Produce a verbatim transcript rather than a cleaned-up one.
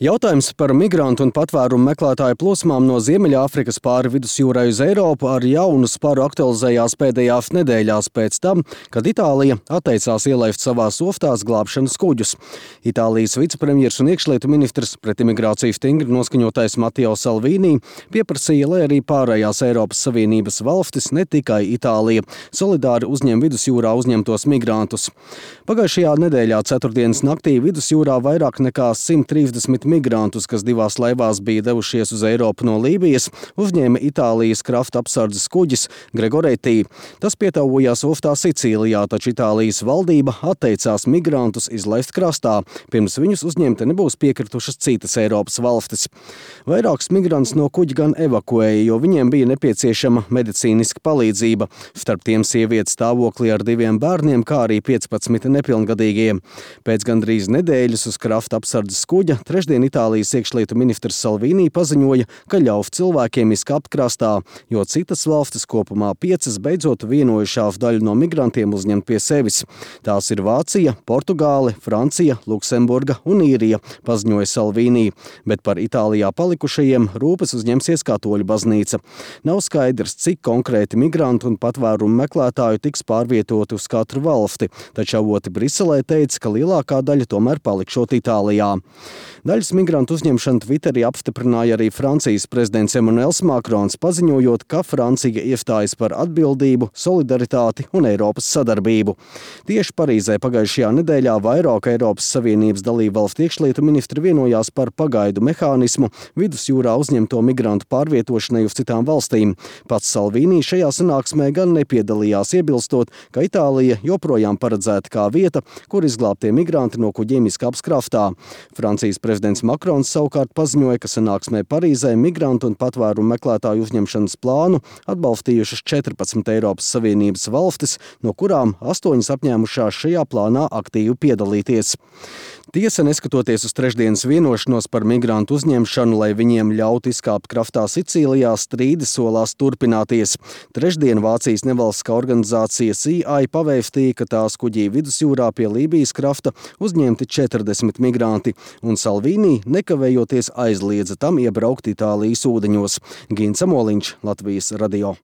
Jautājums par migrantu un patvērumu meklētāju plūsmām no Ziemeļāfrikas pāri vidusjūrai uz Eiropu ar jaunu sparu aktualizējās pēdējās nedēļās pēc tam, kad Itālija atteicās ielaist savās oftās glābšanas kuģus. Itālijas vicepremjers un iekšlietu ministrs pret imigrāciju stingri noskaņotais Matteo Salvini pieprasīja, lai arī pārējās Eiropas Savienības valstis, ne tikai Itālija, solidāri uzņem vidusjūrā uzņemtos migrantus. Pagājušajā nedēļā ceturtdienas naktī vidusjūrā vairāk nekā simt trīsdesmit migrantus, kas divās laivās bija devušies uz Eiropu no Lībijas, uzņēma Itālijas krasta apsardzes kuģis Gregoretti. Tas pietuvojās oftā Sicīlijā, taču Itālijas valdība atteicās migrantus izlaist krastā. Pirms viņus uzņemt nebūs piekritušas citas Eiropas valstis. Vairākus migrantus no kuģa gan evakuēja, jo viņiem bija nepieciešama medicīniska palīdzība. Starp tiem sieviete stāvoklī ar diviem bērniem, kā arī piecpadsmit nepilngadīgie. Pēc gandrīz nedēļas uz krasta apsardzes kuģa trešdien Itālijas iekšlietu ministrs Salvini paziņoja, ka ļaus cilvēkiem izkāpt krastā, jo citas valstis, kopumā piecas, beidzot vienojušās daļu no migrantiem uzņemt pie sevis. Tās ir Vācija, Portugāle, Francija, Luksemburga un Īrija, paziņoja Salvini, bet par Itālijā palikušajiem rūpes uzņemsies Katoļu baznīca. Nav skaidrs, cik konkrēti migrantu un patvērumu meklētāju tiks pārvietoti uz katru valsti, taču avoti Briselē teica, ka lielākā daļa tomēr palikšot Itālijā. Daļas migrantu uzņemšanu Twitterī apstiprināja arī Francijas prezidents Emmanuels Macrons, paziņojot, ka Francija iestājas par atbildību, solidaritāti un Eiropas sadarbību. Tieši Parīzē pagājušajā nedēļā vairāk Eiropas Savienības dalībvalstu iekšlietu ministri vienojās par pagaidu mehānismu vidusjūrā uzņemto migrantu pārvietošanai uz citām valstīm. Pats Salvini šajā sanāksmē gan nepiedalījās, iebilstot, ka Itālija joprojām paredzēta kā vieta, kur izglābtie migranti no kuģiem izkāps kraftā. Francijas prezidents Makrons savukārt paziņoja, ka sanāksmē Parīzē migrantu un patvērumu meklētāju uzņemšanas plānu atbalstījušas četrpadsmit Eiropas Savienības valstis, no kurām astoņas apņēmušās šajā plānā aktīvi piedalīties. Tiesa, neskatoties uz trešdienas vienošanos par migrantu uzņemšanu, lai viņiem ļautu izkāpt kraftā Sicīlijā, strīdi solās turpināties. Trešdien Vācijas nevalstiskā organizācija C I pavēstīja, ka tās kuģī vidusjūrā pie Lībijas krafta uzņemti četrdesmit migranti, un Salvini nekavējoties aizliedza tam iebraukt Itālijas ūdeņos. Gins Amoliņš, Latvijas radio.